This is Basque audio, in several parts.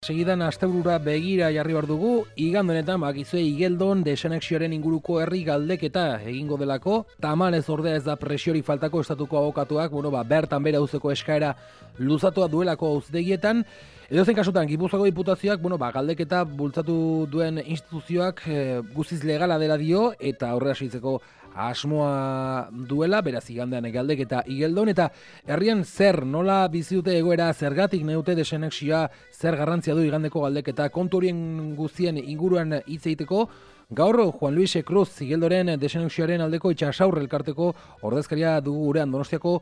segidan asteburura begira jarri behar dugu, igande honetan bakizue Igeldon desanexioaren inguruko herri galdeketa egingo delako, tamalez ordea ez da presiori faltako estatuko abokatuak, bertan bere auzeko eskaera luzatua duelako auztegietan, edozein kasutan, Gipuzkoako diputazioak, galdeketa bultzatu duen instituzioak guztiz legala dela dio, eta aurrera segitzeko asmoa duela, beraz igandean galdeketa Igeldon, eta herrian zer, nola bizi dute egoera, zergatik neute desanexioa, zer garrantzia du igandeko galdeketa, kontu horien guztien inguruan hitz egiteko, gaur Juan Luis Cruz Igeldoren desanexioaren aldeko itxasaur elkarteko ordezkaria dugu gurean Donostiako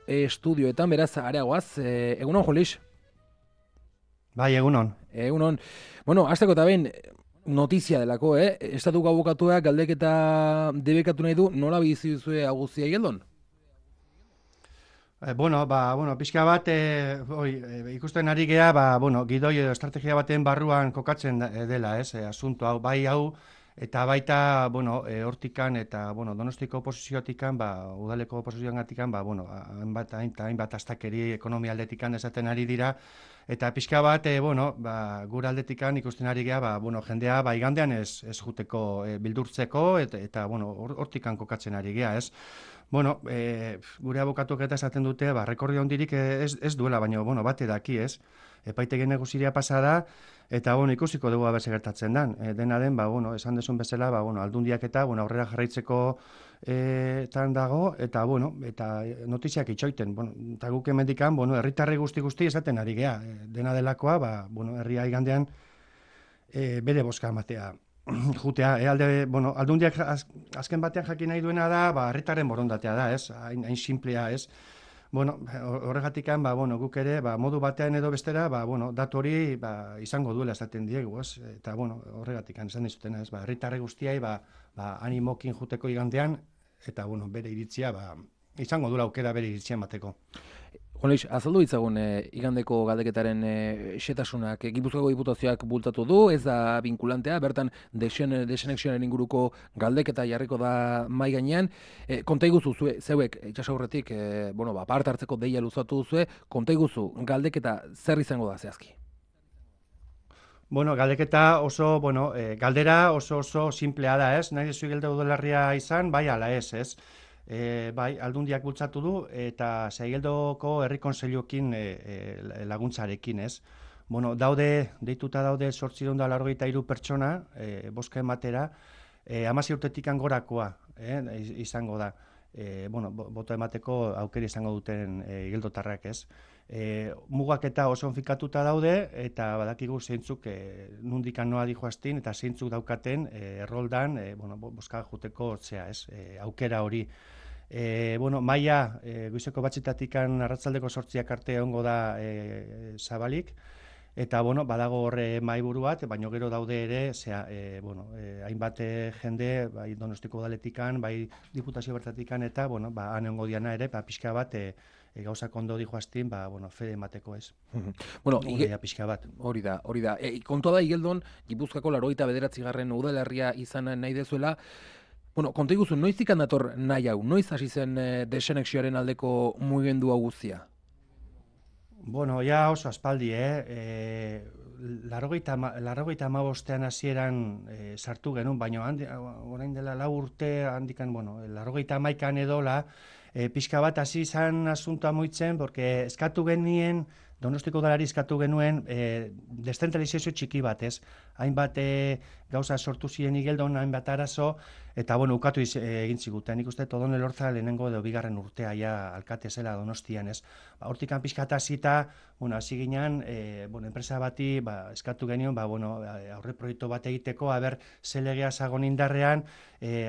estudioetan, beraz areagoaz, egunon Juan Luis? Bai, egunon. Egunon. Hasteko eta behin, notizia delako, estatuko abokatuak galdeketa debekatu nahi du, nola bizi duzue aguzia Igeldon? Pixka bat, ikusten ari gea, gidoi edo estrategia baten barruan kokatzen dela, asunto hau, eta baita, hortikan eta, Donostiko oposizioatikan, udaleko oposizioatikan, hainbat astakeri ekonomia aldetikan esaten ari dira, eta pixka bat, gure aldetikan ikusten ari gea, jendea, igandean ez juteko bildurtzeko, eta hortikan kokatzen ari gea, ez? Gure abokatuak eta esaten dute, rekordio hondirik ez duela, baina, bate daki, ez? Epaitegien neguziria pasada, eta, ikusiko dugu aberse gertatzen den. Dena den, esan desun bezala, aldundiak eta, aurrera jarraitzeko tan dago, eta, eta notiziak itxoiten. Eta guk emendikan, herritarri guzti esaten ari gea. Dena delakoa, herria igandean bere boska matea. Jutea, aldundiak azken batean jakin nahi duena da, herritarren borondatea da, ez? Hain simplea, ez? Horregatikan, guk ere, modu batean edo bestera, datu hori izango duela esaten diegu, ez? Eta, horregatikan esan dizutena, ez? Herritarre guztiai, animokin juteko igandean, eta, bere iritzia, izango duela aukera bere iritzia mateko. Juan Luis, azaldu ditzagun igandeko galdeketaren xetasunak Gipuzkoako diputazioak bultatu du, ez da vinkulantea, bertan desanexioaren inguruko galdeketa jarriko da mai gainean. Konta iguzu zeuek itxasaurretik, parte hartzeko deia luzatu duzue, konta iguzu galdeketa zer izango da zehazki? Galdeketa oso, galdera oso simplea da, ez? Nahi dezu Igeldo udalerria izan, bai ala ez? Aldundiak bultzatu du eta Igeldoko herri kontseiluekin laguntzarekin, ez? Deituta daude 893 pertsona bozka ematera, 16 urtetik gorakoa izango da. Boto emateko aukera izango duten igeldotarrak, ez? Mugak eta oso fikatuta daude, eta badakigu zeintzuk nundikan noa dijoaztin, eta zeintzuk daukaten erroldan bozka juteko aukera hori. Maia, goizeko batxetatikan arratzaldeko 8 arte egongo da zabalik, eta badago horre mahaiburu bat, baina gero daude ere, hainbat jende, bai Donostiko udaletikan, bai diputazio bertatikan, eta han egongo diana ere, pixka bat gauzak ondo dijoaztin, fede emateko, ez. Pixka bat. Hori da. Kontua da Igeldon, Gipuzkoako 89. udalerria izan nahi dezuela. Konta iguzu, noizik handator nahi hau? Noiz hasi zen desanexioaren aldeko mugimendu hau guztia? Oso aspaldi, 85 hasieran sartu genuen, baina orain dela 4 urte, handikan, 81 edola, pixka bat hasi izan asuntoa moitzen, porque eskatu genien, Donostiko udalari eskatu genuen deszentralizazio txiki bat, ez? Hainbat gauza sortu ziren Igeldon, hainbat arazo, eta ukatu egin ziguten. Nik uste Odon Elorza lehenengo edo bigarren urtea ja alkate zela Donostian, ez? Hortikan pixkata hasita, hasi ginen, enpresa bati eskatu genion, aurre proiektu bat egiteko, ze legea zagon indarrean,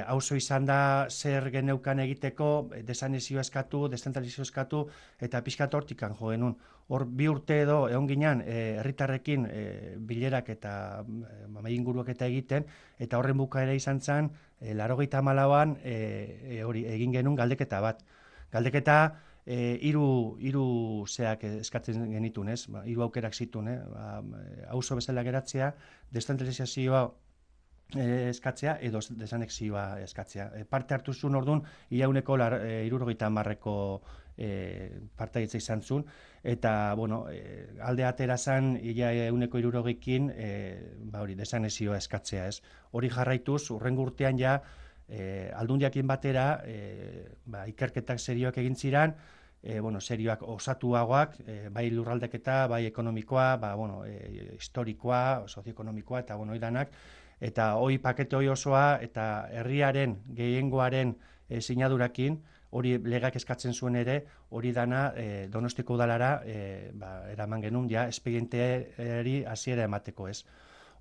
auzo izan da zer geneukan egiteko, desanexioa eskatu, deszentralizazio eskatu, eta pixkata hortikan jo genuen. Hor 2 urte edo egon ginen herritarrekin bilerak eta inguruak eta egiten, eta horren bukaera izan zen, 84an hori egin genuen galdeketa bat. Galdeketa hiru zeak eskatzen genitun, ez? 3 aukerak zituen, auzo bezala geratzea, deszentralizazioa eskatzea edo desanexioa eskatzea. Parte hartu zuen orduan, iauneko 70ko partaidetza izan zuen, eta, bueno, alde atera zan, ia 160ekin, hori, desanexioa eskatzea, ez. Hori jarraituz, hurrengo urtean ja, aldundiakin batera, ikerketak serioak egin ziren, serioak osatuagoak, bai lurraldeketa, bai ekonomikoa, historikoa, sozioekonomikoa, eta, oidanak, eta hoi pakete hoi osoa, eta herriaren, gehiengoaren sinadurakin, hori legak eskatzen zuen ere, hori dana Donostiko udalara eraman genuen, ja, espedienteari hasiera emateko, ez.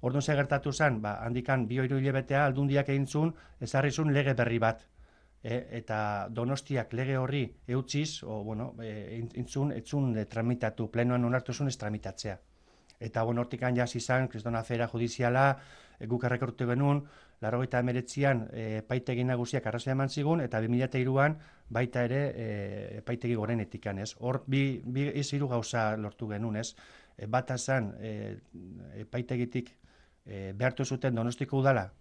Orduan ze gertatu zen, handikan 2-3 hilabetea aldundiak egin zuen, ezarri zuen lege berri bat. Eta Donostiak lege horri eutziz, etzun tramitatu, plenoan onartu zuen ez tramitatzea. Eta hortikan jaz izan, kristona afera judiziala, guk errekortu genuen, 89an epaitegi nagusiak arrazia eman zigun, eta 2003an baita ere epaitegi gorenetikan, ez? Hor, bi hiru gauza lortu genuen, ez? Bata zen, epaitegitik behartu zuten Donostiko udala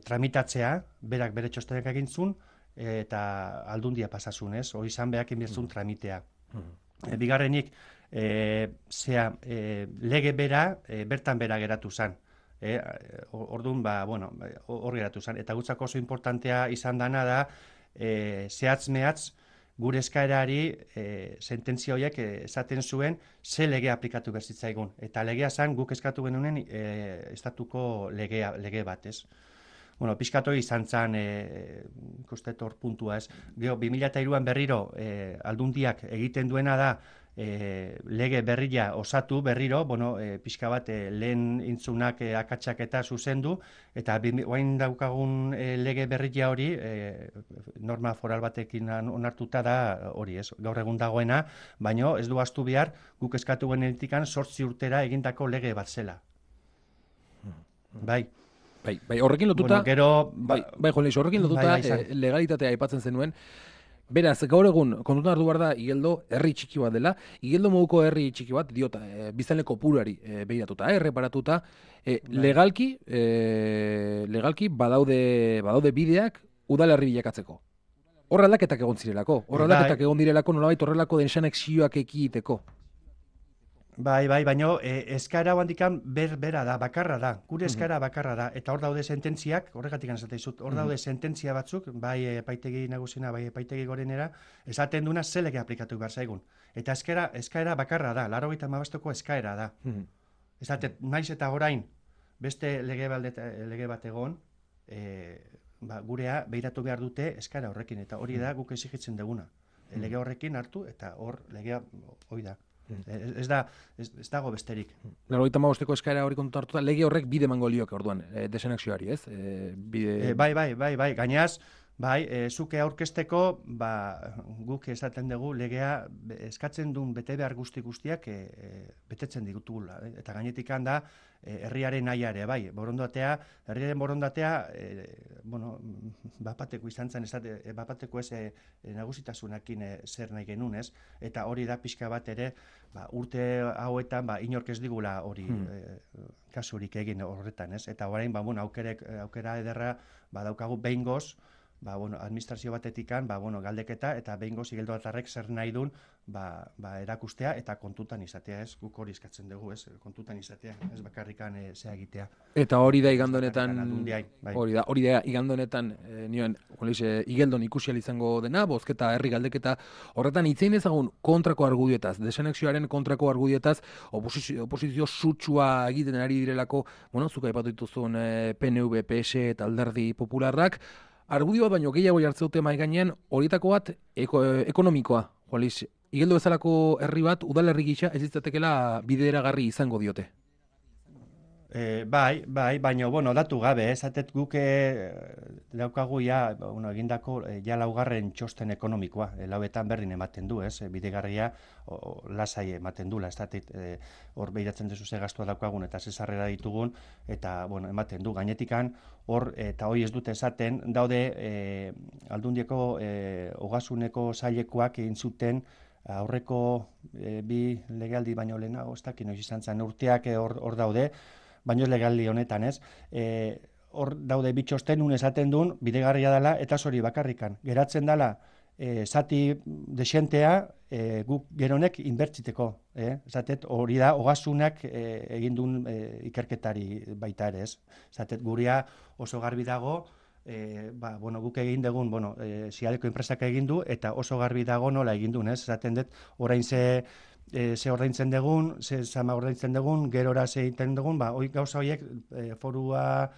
tramitatzea, berak bere txostenak egin zuen, eta aldundia pasasun, ez? Hori izan behak inbierzun tramitea. Bigarrenik, lege bera, bertan bera geratu zen. Orduan, hor geratu zen. Eta gutzako oso importantea izan dana da, zehatz-mehatz, gure eskaerari sententzia horiek esaten zuen ze legea aplikatu berzitzaigun. Eta legea zen guk eskatu genuen estatuko lege bat, ez? Pixkatu izan zen, ikustetor puntua, ez? Gero, 2003an berriro aldundiak egiten duena da lege berria osatu berriro, pixka bat lehen intzunak akatsak eta zuzendu, eta oain daukagun lege berria hori, norma foral batekin onartuta da hori, ez? Gaur egun dagoena, baina ez du ahaztu behar guk eskatu genetikan 8 urtera egindako lege bat zela. Bai, horrekin lotuta, horrekin lotuta legalitatea aipatzen zenuen. Beraz, gaur egun, kontutan hartu behar da, Igeldo herri txiki bat dela, Igeldo moduko herri txiki bat, diota, biztanle kopurari behiratuta, erreparatuta, legalki badaude bideak udalerri bilakatzeko. Hor aldaketak egon zirelako, nolabait horrelako densanexioak ekiteko. Baina eskaera handikan bera da, bakarra da, gure eskaera bakarra da, eta hor daude sententziak, horregatik anezate izut, hor daude sententzia batzuk, bai epaitegi nagusina, bai epaitegi gorenera, esaten duna zelege aplikatu behar zaigun. Eta eskaera bakarra da, 95ko eskaera da. Esaten, naiz eta orain, beste lege bat egon, gurea behiratu behar dute eskaera horrekin, eta hori da guk exigitzen duguna. Lege horrekin hartu, eta hor legea hori da. Ez dago besterik. 95ko eskaera hori kontu hartuta, lege horrek bide emango lioke orduan, desanexioari, ez? Bai, gainaz, zuke aurkezteko, guk esaten dugu legea eskatzen duen bete behar guztiak betetzen ditugula. Eta gainetik da, herriaren nahiare, herriaren borondatea, bapateko izan zen, bapateko ez nagusitasunakin zer nahi genuen, ez? Eta hori da pixka bat ere, urte hauetan, inork ez digula hori kasurik egin horretan, ez? Eta orain, aukera ederra, daukagu behingoz, administrazio batetikan, galdeketa, eta behingoz Igeldo atarrek zer nahi duen, erakustea eta kontutan izatea, ez? Guk hori eskatzen dugu, ez? Kontutan izatea, ez bakarrikan zea egitea. Eta hori da igando honetan, nioen, Igeldon ikusial izango dena, bozketa, herri galdeketa, horretan hitzein ezagun kontrako argudietaz, desanexioaren kontrako argudietaz, oposizio sutsua egiten ari direlako, zuka aipatu dituzun PNV, PS eta Alderdi Popularrak, argudio bat baino gehiago jartzeute mai gainean, horietako bat ekonomikoa, Igeldo bezalako herri bat, udalerri gisa ez izatekela bideragarri izango diote. Baina, datu gabe, esatet guke daukagu egindako laugarren txosten ekonomikoa, lauetan berdin ematen du, bidegarria lasai ematen du, hor behiratzen dezu ze gastua daukagun eta ze sarrera ditugun, eta ematen du, gainetikan, hor, eta hori ez dute esaten, daude aldundieko ogasuneko sailekoak egin zuten aurreko bi legealdi baino lehenago, ez dakit noiz izan zen urteak hor daude, baino ez legaldi honetan, ez? Hor daude bitxosten, esaten duen, bidegarria dela, eta hori bakarrikan. Geratzen dela, zati desentea guk geronek inbertziteko. Zatet, hori da, ogasunak egin duen ikerketari baita ere, ez. Zatet, guria oso garbi dago, guk egin dugun, Siadeko enpresak egin du, eta oso garbi dago nola egin duen, ez. Zaten dut, orain ze ordaintzen dugun, ze zama ordaintzen dugun, gerora ze egiten dugun, gauza horiek forua,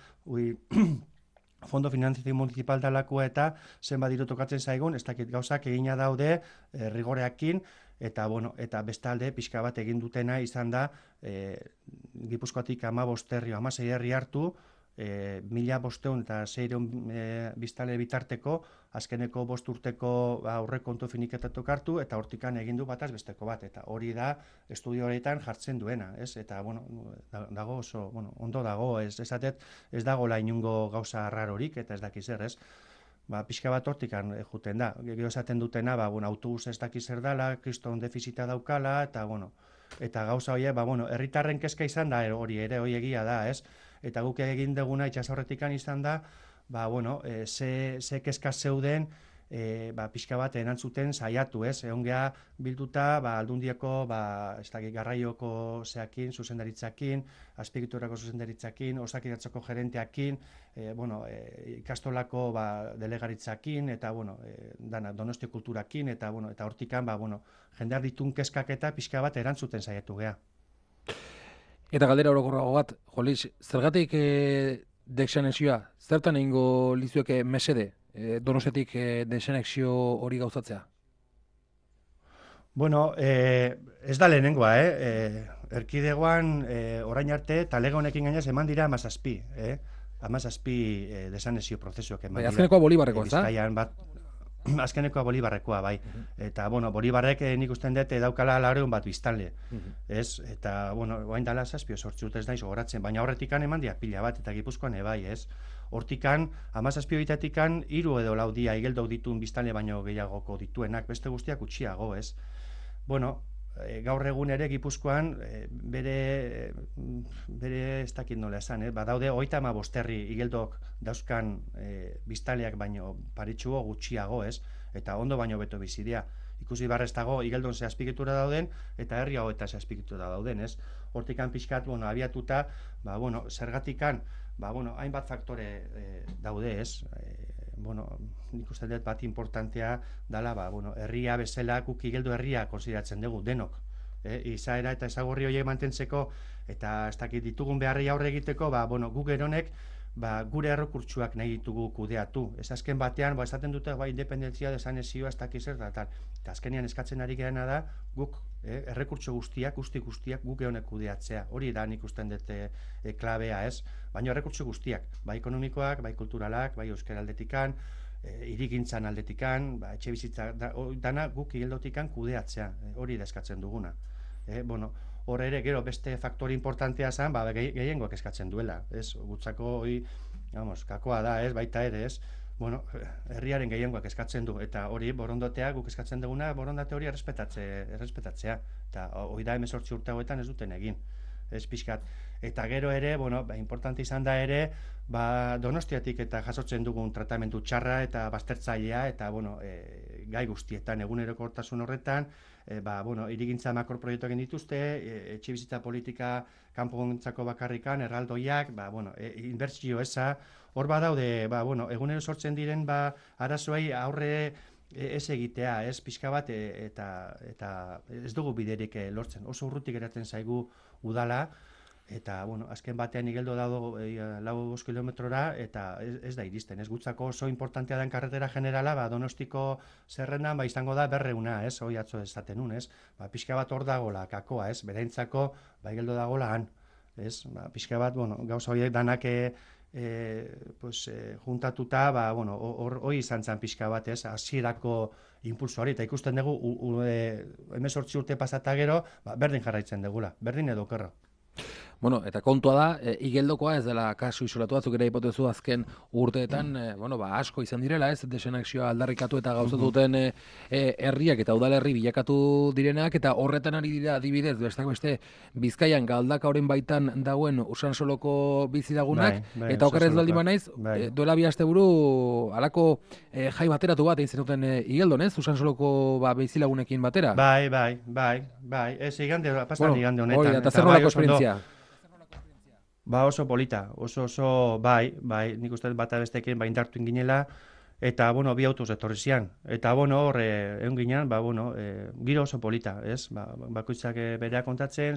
Fondo Finanzazio Municipal dalakoa eta zenbat diru tokatzen zaigun, ez dakit gauzak egina daude rigoreakin, eta bestalde pixka bat egin dutena izan da Gipuzkoatik 16 herri hartu, 1.500 eta 600 biztanle bitarteko, azkeneko 5 urteko aurrekontu finiketatok hartu, eta hortikan egin du bataz besteko bat, eta hori da estudio horietan jartzen duena, ez? Eta, dago oso, ondo dago, ez dagoela inungo gauza rarorik, eta ez dakiz zer, ez? Pixka bat hortikan juten da. Gero esaten dutena, autobus ez dakiz zer dala, kriston defizita daukala, eta gauza hori, herritarren kezka izan da, hori egia da, ez? Eta guk egin duguna itxasorretikan izan da, ze kezka zeuden, pixka bat erantzuten saiatu, ez? Egon geha bilduta, aldundiako, garraioko zeakin, zuzendaritzakin, azpiegiturako zuzendaritzakin, osakiratzako gerenteakin, ikastolako delegaritzakin, eta, Donosti kulturakin, eta hortikan, jendear ditun kezkak eta pixka bat erantzuten saiatu geha. Eta galdera orokorrago bat, Jolis, zergatik desanexioa, zertan egingo lizueke mesede, Donostiatik desanexio hori gauzatzea? Ez da lehenengoa, erkidegoan orain arte, talega honekin gainaz eman dira 17, 17 desanexio prozesuak eman dira. Azkenekoa Bolibarrekoa, ez da? Azkenekoa Bolibarrekoa, bai. Eta, Bolibarrek nik usten dut daukala 100 bat biztanle. Ez? Eta, oain dala 7 urte ez naiz gogoratzen, baina horretikan eman dia pila bat, eta Gipuzkoan ebai, ez? Hortikan, 17 bitatikan, 3 edo 4 dia igeldo dituen biztanle baino gehiagoko dituenak, beste guztiak utxiago, ez? Gaur egun ere Gipuzkoan bere ez dakit nola esan, badaude 35 herri igeldok dauzkan biztanleak baino paritxugo gutxiago, ez? Eta ondo baino beto bizidia. Ikusi barrez dago igeldon ze azpigitura dauden eta herri hau eta ze azpigitura dauden, ez? Hortikan pixkat, abiatuta, zergatikan, hainbat faktore daude, ez? Nik uste dut bat importantea dala, herria bezala, guk igeldo herria konsideratzen dugu, denok. Izaera eta ezagorri horiek mantentzeko, eta ez dakit ditugun beharrei aurre egiteko, guk geronek, gure errekurtsuak nahi ditugu kudeatu. Ez azken batean, esaten dute, independentzia desanexioa, ez dakiz zer, eta azkenean eskatzen ari geana da, guk errekurtso guztiak, guztiak guk geronek kudeatzea. Hori da nik usten dut klabea, ez? Baina errekurtso guztiak, bai ekonomikoak, bai kulturalak, bai euskara aldetikan, irigintzan aldetikan, etxe bizitza, dana guk igeldotikan kudeatzea, hori da eskatzen duguna. Hor ere, gero, beste faktore importantea zen, gehiengoak eskatzen duela, ez? Gutzako hori, kakoa da, ez? Baita ere, ez? Herriaren gehiengoak eskatzen du, eta hori, borondatea, guk eskatzen duguna, borondate hori errespetatzea, eta hori da 18 urte hauetan ez duten egin, ez pixkat. Eta gero ere, importante izan da ere, Donostiatik eta jasotzen dugun tratamendu txarra eta baztertzailea, eta gai guztietan, egunerokortasun horretan, irigintza makroproiektuak egin dituzte, etxe bizitza politika kanpogintzako bakarrikan, erraldoiak, inbertsio eza, hor badaude, egunero sortzen diren arazoei aurre ez egitea, ez pixka bat, eta ez dugu biderik lortzen. Oso urrutik geratzen zaigu udala, eta, azken batean igeldo dago 4 kilometrora, eta ez da iristen, ez gutzako oso importantea den karretera generala, Donostiko zerrendan, izango da 200, ez, hoi atzo esaten un, ez, pixka bat hor dagola, kakoa, ez, berentzako, igeldo dagola han, ez, pixka bat, gauza horiek danak juntatuta, hori izan zen pixka bat, ez, hasierako impulso hori, eta ikusten dugu, 18 urte pasata gero, berdin jarraitzen dugula, berdin edo okerro. Bueno, eta kontua da, igeldokoa ez dela kasu isolatua, zuk ere hipotezu azken urteetan, asko izan direla, ez, desenexioa aldarrikatu eta gauzatu duten herriak eta udalerri bilakatu direnak, eta horretan ari dira adibidez, besteak beste, Bizkaian Galdakaoren baitan dagoen Usansoloko bizilagunak, eta okerrez baldin banaiz, duela 2 asteburu halako jai bateratu bat egin zenuten Igeldon, ez, Usansoloko bizilagunekin batera? Bai, ez igande, pasan igande honetan. Hori, eta zer nolako esperientzia? Oso polita, oso, bai, nik uste bata bestekin indartu inginela, eta, bi autoz etorri zian. Eta, hor, egon ginean, giro oso polita, ez? Bakoitzak berea kontatzen,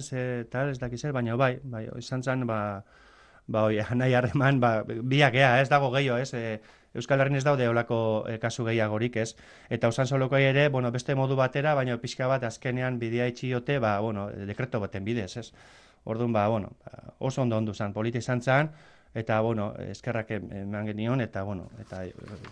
tal, ez dakiz zer, baina bai, izan zen, nahi harreman, biak ea, ez dago gehiago, ez? Euskal Herrin ez daude olako kasu gehiagorik, ez? Eta Usansoloko ere, beste modu batera, baina pixka bat azkenean bidea itxiote, dekreto baten bidez, ez? Orduan, oso ondo zen, polita izan zen, eta, eskerrak eman genion, eta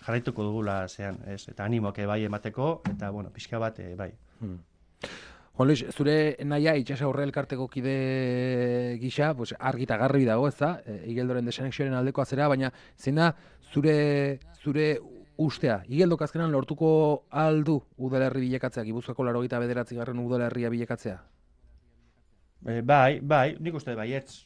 jarraituko dugula zean, ez? Eta animoak bai emateko, eta, pixka bat, bai. Juan Luis, zure naia Itsas Aurre elkarteko kide gisa, argi eta garbi dago, ez da, Igeldoren desenexioaren aldekoa zera, baina zein da zure ustea, Igeldok azkenan lortuko aldu udalerri bilakatzea, Gipuzkoako 89. udalerria bilakatzea? Bai, nik uste baietz.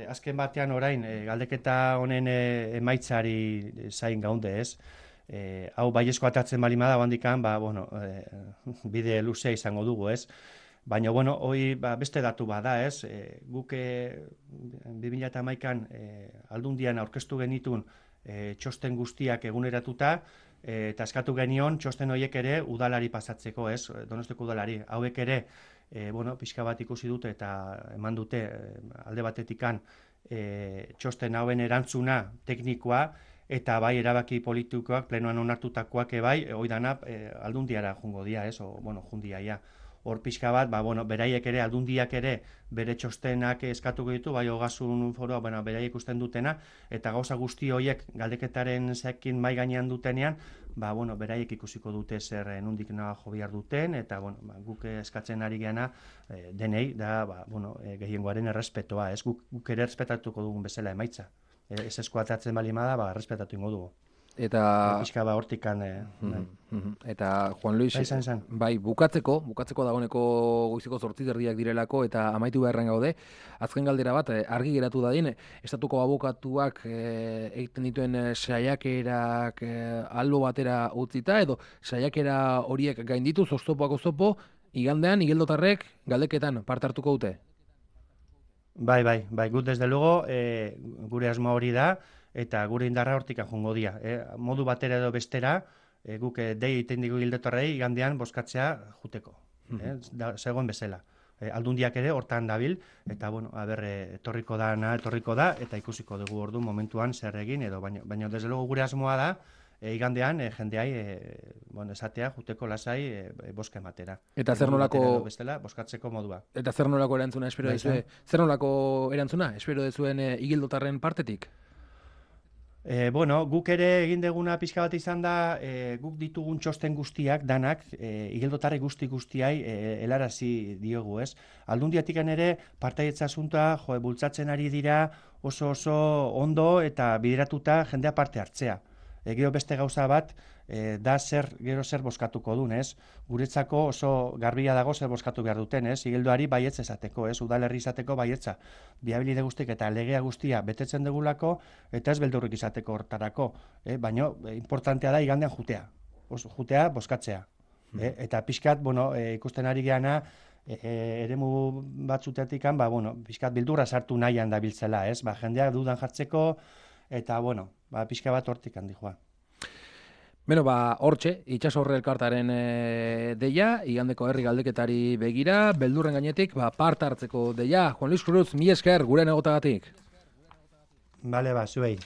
Azken batean orain, galdeketa honen emaitzari zain gaunde, ez? Hau baiezko atatzen bali bada, handikan, bide luzea izango dugu, ez? Baina, hoi beste datu bada, ez? Guk 2011an aldundian aurkeztu genitun txosten guztiak eguneratuta, eta eskatu genion txosten horiek ere udalari pasatzeko, ez? Donosteko udalari. Hauek ere, pixka bat ikusi dute eta eman dute alde batetikan txosten hauen erantzuna teknikoa, eta bai erabaki politikoak plenoan onartutakoak bai, oidana aldundiara jungo dia, ez? Jundia, ja. Hor pixka bat, beraiek ere, aldundiak ere, bere txostenak eskatuko ditu, bai Ogasun Foroa, beraiek ikusten dutena, eta gauza guzti horiek galdeketaren zekin mai gainean dutenean, beraiek ikusiko dute zer nondik nahi jo behar duten, eta guk eskatzen ari geana denei, da gehiengoaren errespetoa, ez? Guk ere errespetatuko dugun bezala emaitza. Ez eskuatatzen bali bada, errespetatu ingo dugu. Eta pixka hortikan eta Juan Luis, bai, bukatzeko dagoeneko goizeko 8:00 direlako eta amaitu beharren gaude. Azken galdera bat, argi geratu dadin, estatuko abokatuak egiten dituen saiakerak albo batera utzita, edo saiakera horiek gainditu, oztopoak oztopo, igandean, igeldotarrek galdeketan parte hartuko dute? Bai, gut desde luego, gure asmo hori da, eta gure indarra hortik jongo dia. Modu batera edo bestera, guk dei egiten digu igeldotarrei igandean bozkatzea juteko. Zegoen bezala. Aldundiak ere hortan dabil, eta etorriko da, eta ikusiko dugu ordu momentuan zer egin, edo baina desde luego gure asmoa da, igandean jendeai esatea juteko lasai bozka ematera. Eta zer nolako bestela bozkatzeko modua. Eta zer nolako erantzuna espero dezue? Zer nolako erantzuna espero dezuen igeldotarren partetik? Guk ere egin deguna pixka bat izan da, guk ditugun txosten guztiak, danak, igeldotarri guztiai helarazi diogu, ez? Aldundiatikan ere, partaietza asuntoa, bultzatzen ari dira oso ondo eta bideratuta jendea parte hartzea. Gero beste gauza bat, da gero zer bozkatuko duen, ez? Guretzako oso garbia dago zer bozkatu behar duten, ez? Igeldoari baietz esateko, ez? Udalerri izateko baietza. Biabilide guztik eta legea guztia betetzen dugulako, eta ez beldurrik izateko hortarako. Baina, importantea da igandean jutea. Jutea, bozkatzea. Eta pixkat, ikusten ari geana, eremu batzutetik, pixkat bildurra sartu nahian da biltzela, ez? Jendeak dudan jartzeko, eta, pixka bat hortik handi joa. Hortxe, Itsas Aurre elkartaren deia, igandeko herri galdeketari begira, beldurren gainetik, parte hartzeko deia. Juan Luis Cruz, mi esker, gure negotagatik. Bale, zuei.